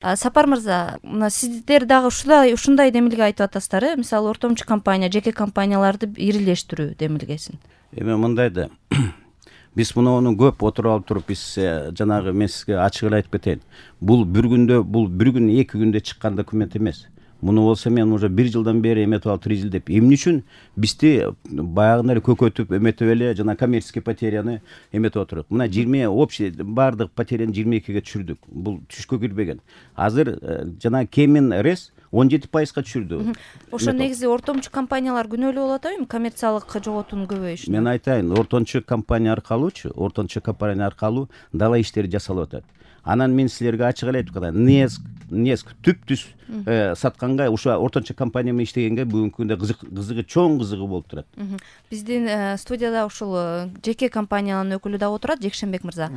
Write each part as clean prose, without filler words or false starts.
Сапар мырза, мына сиздер дагы ушундай демилге айтып атасыздар, мисалы ортомчу компания, жеке компанияларды ирилештирүү демилгесин. Эми мындай да биз муну көп отуруп алып туруп биз жанагы мен сизге ачык эле айтып кетейин. Бул бир күндө, бул бир күн, 2 күндө чыккан документ эмес. Муну болсо мен уже 1 жылдан бери эметип алып 3 жыл деп. Эмне үчүн бизди баягындай эле көкөтүп эметип эле жана коммерческий потеряны эметип отурук. Мына 20 общий бардык потеряны 22-ге түшүрдүк. Бул түшкө кирбеген. Азыр жана Кемин Рес 17%га түшүрдү. Ошо негизи ортомчу компаниялар күнөөлүү болот эми коммерциялык жоготуунун көбөйүшүнө. Мен айтайын, ортомчу компания аркылуу дала иштери жасалып атат. Анан мен силерге ачык эле айтып калайын. Неск түп-түз сатканга, ушу ортончу компания менен иштегенге бүгүнкү күндө чоң кызыгы болуп турат. Биздин студияда ушул жеке компаниянын өкүлү да отурат, Жекшенбек мырза.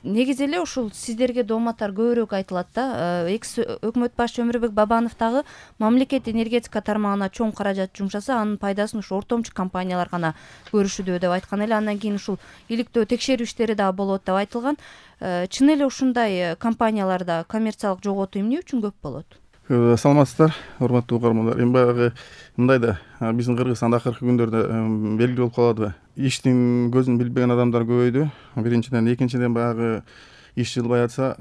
Негизи эле ушул сиздерге дооматтар көбүрөөк айтылат да. Экс өкмөт башчы Өмүрбек Бабанов дагы мамлекет энергетика тармагына чоң каражат жумшаса, анын пайдасын ушу ортомчу компаниялар гана көрүшүдө деп айткан эле. Андан кийин ушул иликтөө текшерүү иштери дагы болот деп айтылган. Чын эле ушундай компанияларда коммерциялык жоготуу эмне үчүн көп болот? Саламатсыздар, урматтуу угармандар. Эми баягы мындай да биздин Кыргызстанда акыркы күндөрдө белгилүү болуп калабы. Иштин көзүн билбеген адамдар көбөйдү. Биринчиден, экинчиден баягы иш жылбай атса,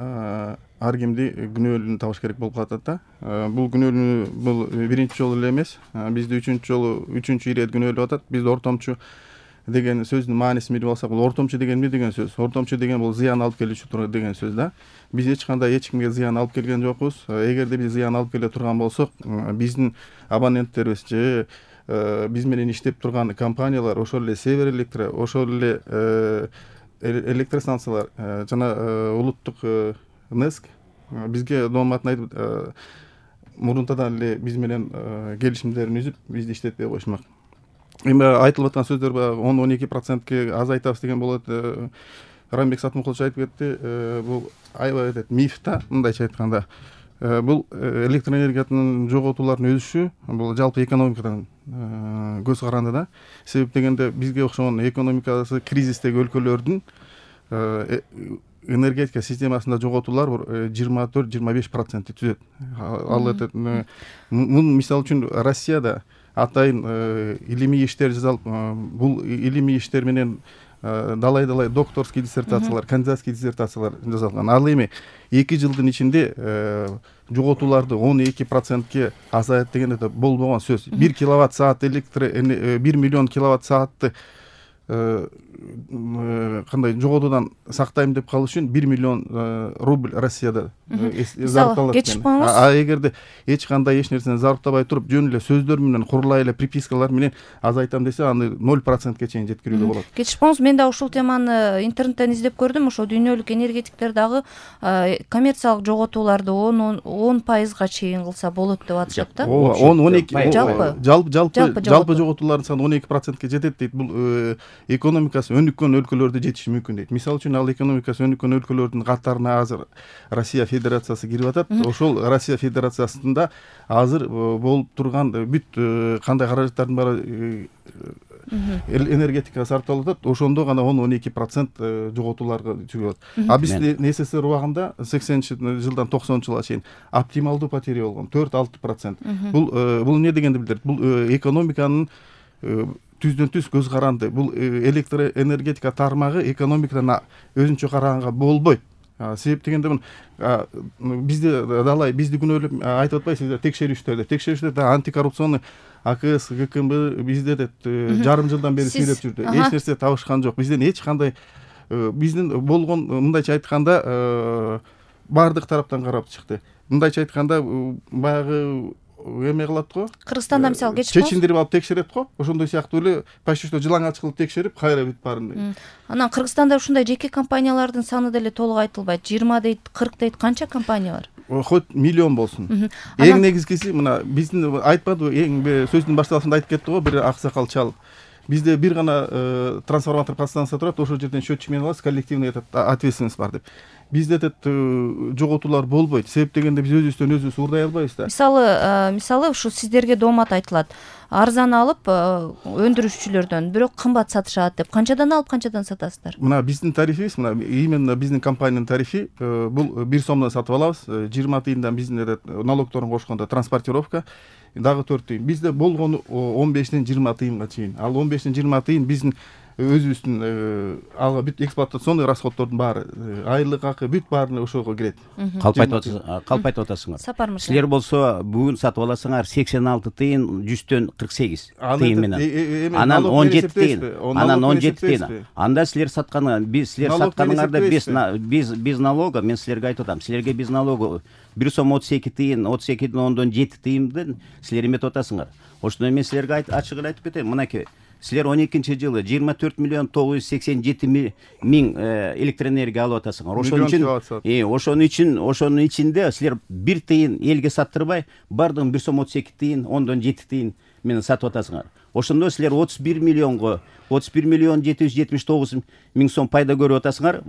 ар кимди күнөөлүүнү табыш керек болуп калат да. Бул күнөөлүүнү бул биринчи жолу эле эмес. Бизди үчүнчү ирет күнөөлөп атат. Бизди ортомчу деген сөздүн маанисин билип алсак, бул ортомчу деген эмне деген сөз? Ортомчу деген бул зыян алып келүүчү турган деген сөз да. Биз эч кандай эч кимге зыян алып келген жокпуз. Эгерде биз зыян алып келе турган болсок, биздин абоненттерибиз же биз менен иштеп турган компаниялар, ошол эле Север Электро, ошол эле электростанциялар жана улуттук Неск бизге дооматын айтып, мурунтадан эле биз менен келишимдерин үзүп, бизди иштетпей коюшмак. Эми айтылып аткан сөздөр баягы 10-12%ке азайтабыз деген болот. Рамбек Сатмукулович айтып кетти. Бул аябай миф да, мындайча айтканда. Бул электроэнергиянын жоготуулардын өсүшү, бул жалпы экономикадан көз каранды да. Себеп дегенде бизге окшогон экономикасы кризистеги өлкөлөрдүн энергетика системасында жоготуулар 24-25% түзөт. Ал мун мисалы үчүн Россияда атайын илимий иштер жазалып, бул илимий иштер менен далай докторский диссертациялар, кандидатский диссертациялар жазалган. Ал эми 2 жылдын ичинде жоготууларды 12%ке азайт деген болбогон сөз. 1 киловатт саат 1 миллион киловатт саатты кандай жоготуудан сактайм деп калыш үчүн 1 миллион рубль Россияда зарплата. Эгерде эч кандай эч нерсени зарплатабай туруп, жөн эле сөздөр менен, курулай эле припискалар менен азайтам десе, аны 0%ке чейин жеткирүүгө болот. Кетишпоңуз, мен да ушул теманы интернеттен издеп көрдүм. Ошо дүйнөлүк энергетиктер дагы коммерциялык жоготууларды 10%га чейин кылса болот деп атышат да. 10-12 жалпы жоготуулардын саны 12%ке жетет дейт. Бул экономикасы өнүккөн өлкөлөрдө жетиши мүмкүн дейт. Мисалы үчүн, ал экономикасы өнүккөн өлкөлөрдүн катарына азыр Россия Федерациясы кирип атат. Ошол Россия Федерациясында азыр болуп турган бүт кандай каражаттардын баары энергетикага сарпталып атат. Ошондо гана 10-12% жоготууларга чыгат. А биз СССР убагында 80-жылдан 90-жылга чейин оптималдуу потеря болгон 4-6%. Бул эмне дегенди билдирет? Бул экономиканын түздөн түз көз каранды. Бул электроэнергетика тармагы экономикадан өзүнчө караганга болбойт. Себеп дегенде бизди далай, бизди күнөөлөп айтып атпайсызбы, текшерүүчүлөр антикоррупционный АКС, ГКМБ бизде жарым жылдан бери сүйлөп жүрдү. Эч нерсе табышкан жок. Бизден эч кандай биздин болгон, мындайча айтканда, бардык тараптан карап чыкты. Мындайча айтканда, баягы эме кылат го. Кыргызстанда мисалы чечиндирип алып текшерет го. Ошондой сыяктуу эле почти что жылаңач кылып текшерип, кайра бүт баарын. Анан Кыргызстанда ушундай жеке компаниялардын саны деле толук айтылбайт. 20 дейт, 40 дейт, канча компания бар? Хоть миллион болсун. Эң негизгиси мына биздин айтпадыбы, эң сөздүн башталышында айтып кетти го бир аксакал чал. Бизде бир гана трансформатор подстанция турат, ошол жерден счетчик менен алабыз, коллективный ответственность бар деп. бизде жоготуулар болбойт. Себеп дегенде биз өзүбүздөн өзүбүз уурдай албайбыз да. Мисалы ушу сиздерге доомат айтылат. Арзан алып өндүрүүчүлөрдөн, бирок кымбат сатышат деп. Канчадан алып канчадан сатасыздар? Мына биздин тарифибиз, мына именно биздин компаниянын тарифи бул 1 сомдон сатып алабыз. 20 тыйындан биздин налогторун кошкондо транспортировка дагы 4 тыйын. Бизде болгону 15ден 20 тыйынга чейин. Ал 15ден 20 тыйын биздин өзүбүздүн ага бүт эксплуатационный расходтордун баары, айлык акы бүт баарына ошого кирет. Калп айтып атасыңар. Сапар мырза. Силер болсо бүгүн сатып аласыңар 86 тыйын 100дөн 48 тыйын менен. Анан 17 тыйын. Анан 17 тыйын. Анда силер сатканы, силер сатканыңарда без налога, мен силерге айтып атам. Силерге без налога 1 сом 32 тыйын, 32ден 10дон 7 тыйындын силер эметип атасыңар. Ошондо мен силерге ачык эле айтып кетейин. Мынакей силер 12-жылы 24 миллион 987 миң электроэнергия алып атасыңар. Ошонун ичинде силер 1 тыйын элге саттырбай, бардыгын 1 сом 32 тыйын, 10дон 7 тыйын менен сатып атасыңар. Ошондо силер 31 миллион 779 миң сом пайда көрүп атасыңар.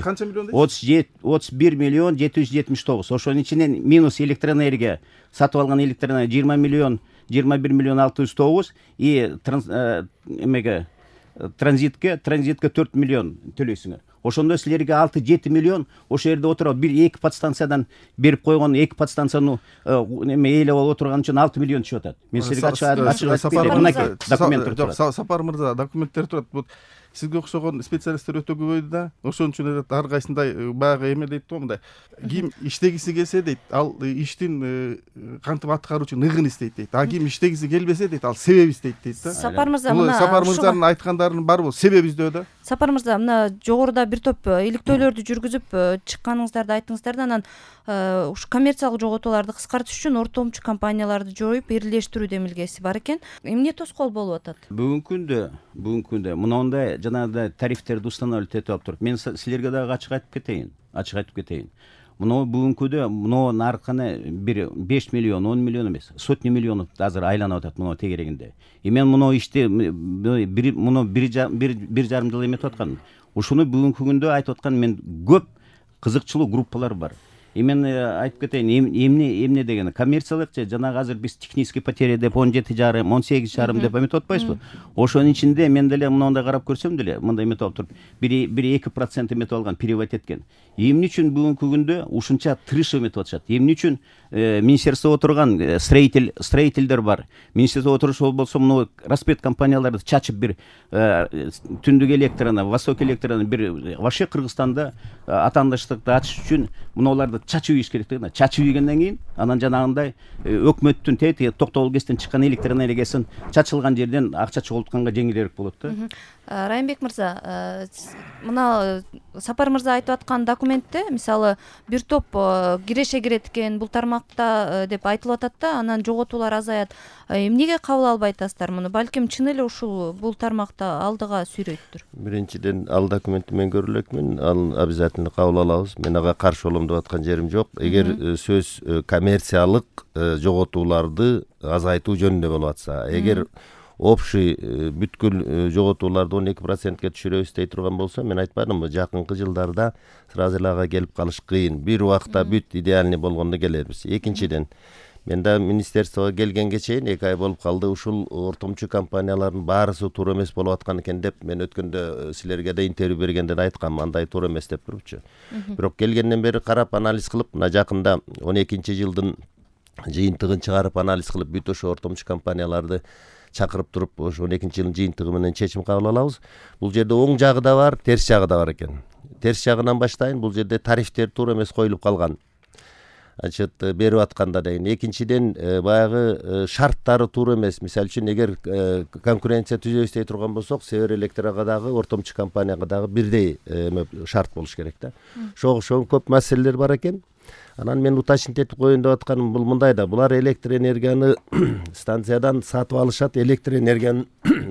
Канча миллион дейсиз? 31 миллион 779. Ошонун ичинен минус электроэнергия, сатып алган электроэнергия 21 миллион 609 и транзитке 4 миллион төлөйсүңөр. Ошондо силерге 6-7 миллион ошо жерде отуруп, 1-2 подстанциядан берип койгон, 2 подстанцияны ээлеп алып отурган үчүн 6 миллион түшүп атат. Мен силерге ачык айтып берем. Документтер турат. Сапар мырза, документтер турат. Сизге окшогон специалисттер өтө көбөйдү да. Ошон үчүн ар кайсындай баягы эме дейт да, мындай. Ким иштегиси келсе дейт, ал иштин кантип аткаруу үчүн ыгын издейт дейт. А ким иштегиси келбесе дейт, ал себеп издейт дейт да. Сапар мырза, мына Сапар мырзанын айткандарынын баары бул себеп издөө да. Сапар мырза, мына жогоруда бир топ иликтөөлөрдү жүргүзүп чыкканыңыздарды айттыңыздар да, анан ушу коммерциялык жоготууларды кыскартыш үчүн ортомчу компанияларды жоюп, бирлештирүү демилгеси бар экен. Эмне тоскоол болуп атат? Бүгүнкү күндө мындай жанагындай тарифтерди устанавливать этип алып туруп, мен силерге дагы ачык айтып кетейин. Мына бүгүнкүдө мынун арканы бир 5 миллион, 10 миллион эмес, сотни миллионов азыр айланып атат мына тегерегинде. Мен мына ишти 1,5 жыл эметип аткам. Ушуну бүгүнкү күндө айтып аткан мен көп кызыкчылуу группалар бар. Мен айтып кетейин, эмне деген коммерциялык же жанагы азыр биз технический потеря деп 17,5, 18,5 деп эметип атпайбызбы? Ошонун ичинде мен деле мындай карап көрсөм деле, мындай эметип алып туруп, 1-2% эметип алган, перевод эткен. Эмне үчүн бүгүнкү күндө ушунча тырыш эметип атышат? Эмне үчүн министерство отурган строительдер бар. Министерство отурушу болсо мына распет компанияларды чачып бир түндүк электраны, восток электраны бир вообще Кыргызстанда атаандаштыкты ачыш үчүн мыналарды чачып ийиш керек да. Чачып ийгенден кийин анан жанагындай өкмөттүн токтогул кестен чыккан электроэнергиясын чачылган жерден акча чогултканга жеңилирээк болот да. Райымбек мырза, мына Сапар мырза айтып аткан документте мисалы бир топ киреше кирет экен бул тармакта деп айтылып атат да, анан жоготуулар азаят. Эмнеге кабыл албай атасыздар муну? Балким чын эле ушул бул тармакта алдыга сүйрөйттүр. Биринчиден ал документти мен көрө элекмин, ал обязательно кабыл алабыз. Мен ага каршы болом деп аткан жерим жок. Эгер сөз коммерциялык жоготууларды азайтуу жөнүндө болуп атса, эгер общий бүткүл жоготууларды 12%ке түшүрөбүз дей турган болсо, мен айтпадымбы, жакынкы жылдарда сразу эле ага келип калыш кыйын. Бир убакта бүт идеальный болгондо келербиз. Экинчиден, мен да министерствого келгенге чейин 2 ай болуп калды, ушул ортомчу компаниялардын баарысы туура эмес болуп аткан экен деп мен өткөндө силерге да интервью бергенде да айткам, андай туура эмес деп турупчу. Бирок келгенден бери карап анализ кылып, мына жакында 12-жылдын жыйынтыгын чыгарып анализ кылып, бүт ошо ортомчу компанияларды чакырып туруп, ошо 12-жылдын жыйынтыгы менен чечим кабыл алабыз. Бул жерде оң жагы да бар, терс жагы да бар экен. Терс жагынан баштайын, бул жерде тарифтер туура эмес коюлуп калган. Значит, берип атканда деген. Экинчиден, баягы шарттары туура эмес. Мисалы үчүн, эгер конкуренция түзөбүз дей турган болсок, Север Электрага дагы, ортомчу компанияга дагы бирдей шарт болуш керек да. Ошого көп маселелер бар экен. Анан мен уточнить этип коеюн деп атканым бул мындай да, булар электроэнергияны станциядан сатып алышат, электроэнергиянын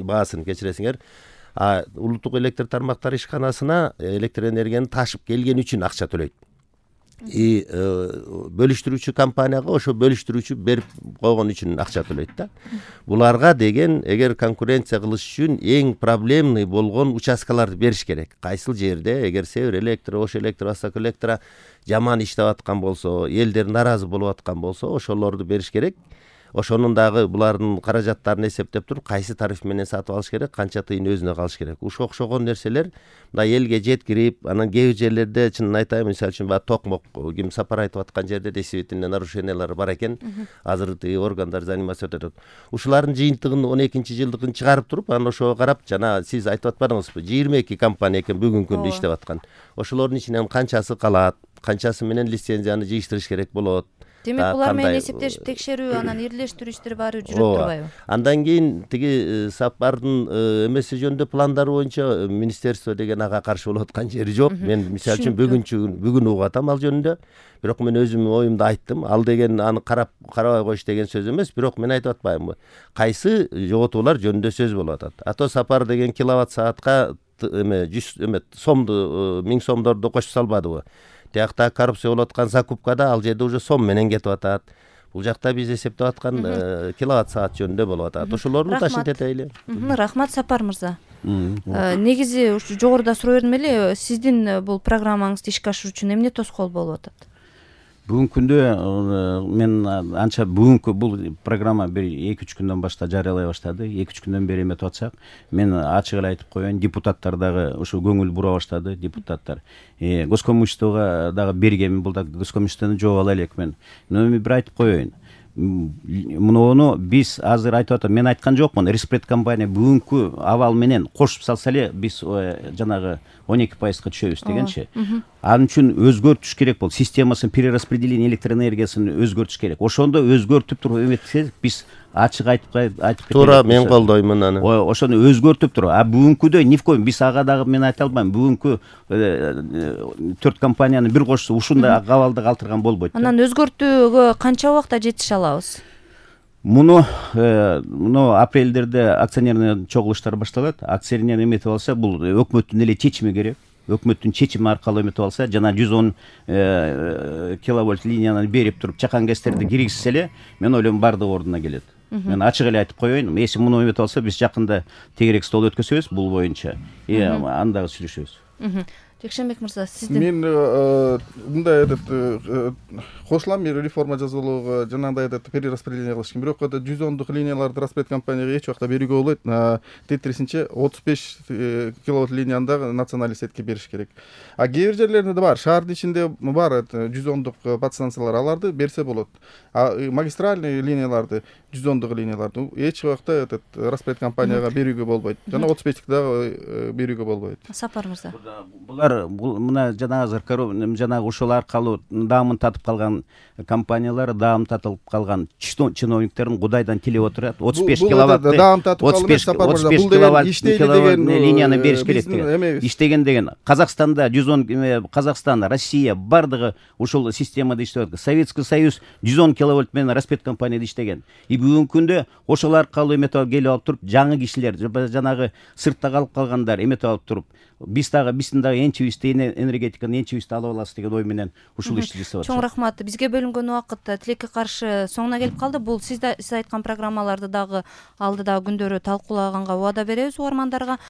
баасын кечиресиңер. Улуттук электр тармактары ишканасына электроэнергияны ташып келген үчүн акча төлөйт. бөлүштүрүүчү компанияга ошо бөлүштүрүүчү берип койгон үчүн акча төлөйт да. Буларга деген эгер конкуренция кылыш үчүн эң проблемный болгон участкаларды бериш керек. Кайсыл жерде эгер Север Электро, Ош Электро, Восток Электро жаман иштеп аткан болсо, элдер наразы болуп аткан болсо, ошолорду бериш керек. Ошонун дагы булардын каражаттарын эсептеп туруп, кайсы тариф менен сатып алыш керек, канча тыйын өзүнө калыш керек. Ушул окшогон нерселер мындай элге жеткирип, анан кээ бир жерлерде чынын айтайын, мисалы үчүн баягы токмок ким Сапар айтып аткан жерде действительно нарушениялар бар экен. Азыр органдар заниматься этет. Ушулардын жыйынтыгын 12-жылдыгын чыгарып туруп, анан ошого карап, жана сиз айтып атпадыңызбы, 22 компания экен бүгүнкү күндө иштеп аткан. Ошолордун ичинен канчасы калат, канчасы менен лицензияны жыйыштырыш керек болот. Демек булар менен эсептешип текшерүү, анан ирилештирүү иштери баары жүрүп турбайбы? Андан кийин тиги Сапардын эмеси жөнүндө пландары боюнча министерство деген ага каршы болуп аткан жери жок. Мен мисалы үчүн бүгүн угуп атам ал жөнүндө. Бирок мен өзүмдүн оюмду айттым. Ал деген аны карабай коюш деген сөз эмес, бирок мен айтып атпаймынбы? Кайсы жоготуулар жөнүндө сөз болуп атат. Ато Сапар деген киловатт саатка 100 сомду 1000 сомдорду кошуп салбадыбы? Тиякта коррупция болуп аткан закупкада ал жерде уже сом менен кетип атат. Бул жакта биз эсептеп аткан киловатт саат жөнүндө болуп атат. Ошолорду ташкыл этели. Рахмат Сапар мырза. Негизи ушу жогоруда суроо бердим эле, сиздин бул программаңызды ишке ашыруу үчүн эмне тоскоол болуп атат? Бүгүнкү күндө мен анча бүгүнкү бул программа бир 2-3 күндөн баштап жарыялай баштады. 2-3 күндөн бери эметип атсак, мен ачык эле айтып коеюн, депутаттар дагы ушу көңүл бура баштады, депутаттар. Госкомиштого дагы бергенмин, бул да госкомиштени жооп ала элек мен. Эми бир айтып коеюн. Муну биз азыр айтып атам, мен айткан жокмун. Респред компания бүгүнкү абал менен кошуп салса эле биз жанагы 12%га түшөбүз дегенчи. Анын үчүн өзгөртүш керек болду. Системасын перераспределение электроэнергиясын өзгөртүш керек. Ошондо өзгөртүп туруп эметсек, биз ачык айтып кетели. Туура, мен колдоймун аны. Ошону өзгөртүп туруп, бүгүнкүдөй ни в коем биз ага дагы мен айта албайм. Бүгүнкү 4 компанияны бир кошсо ушундай кабалды калтырган болбойт. Анан өзгөртүүгө канча убакта жетише алабыз? Муну апрелдерде акционерный чогулуштар башталат. Акционер эметип алса, бул өкмөттүн эле чечими керек. Өкмөттүн чечими аркылуу эметип алса, жана 110 киловольт линияны берип туруп чакан гэстерди киргизсе эле, мен ойлойм бардыгы ордуна келет. Мен ачык эле айтып коеюн, эси муну эметип алса, биз жакында тегерек стол өткөзөбүз бул боюнча. Анда сүйлөшөбүз. Жекшенбек мырза, сиздин мен мындай кошулам, реформа жасоолууга жанагындай перераспределение кылыш керек. Бирок 110 линияларды Распред компанияга эч убакта берүүгө болбойт. Тетрисинче 35 киловатт линияны дагы национальный сетке бериш керек. А кээ бир жерлерде бар, шаардын ичинде бар 110 подстанциялар, аларды берсе болот. А магистральный линияларды, 110 линияларды эч убакта Распред компанияга берүүгө болбойт. Жана 35 дагы берүүгө болбойт. Сапар мырза. Булар мына жанагы ошол аркылуу даамын татып калган компаниялар, даам татып калган чиновниктердин кудайдан тилеп отурат. 35 киловатты, 35 киловатт линияны бериш керек деген. Иштеген деген Казакстанда 110, Казакстан, Россия бардыгы ушул системада иштеп атат. Советский Союз 110 киловольт менен Распред компанияда иштеген. Бүгүнкү күндө ошол аркылуу эметип келип алып туруп, жаңы кишилер, жанагы сыртта калып калгандар эметип алып туруп, биздин дагы энчибизди энергетиканы энчибизди алып алабыз деген ой менен ушул ишти жасап атат. Чоң рахмат. Бизге бөлүнгөн убакыт тилекке каршы соңуна келип калды. Бул сиз айткан программаларды дагы алдыдагы күндөрү талкуулаганга убада беребиз угармандарга.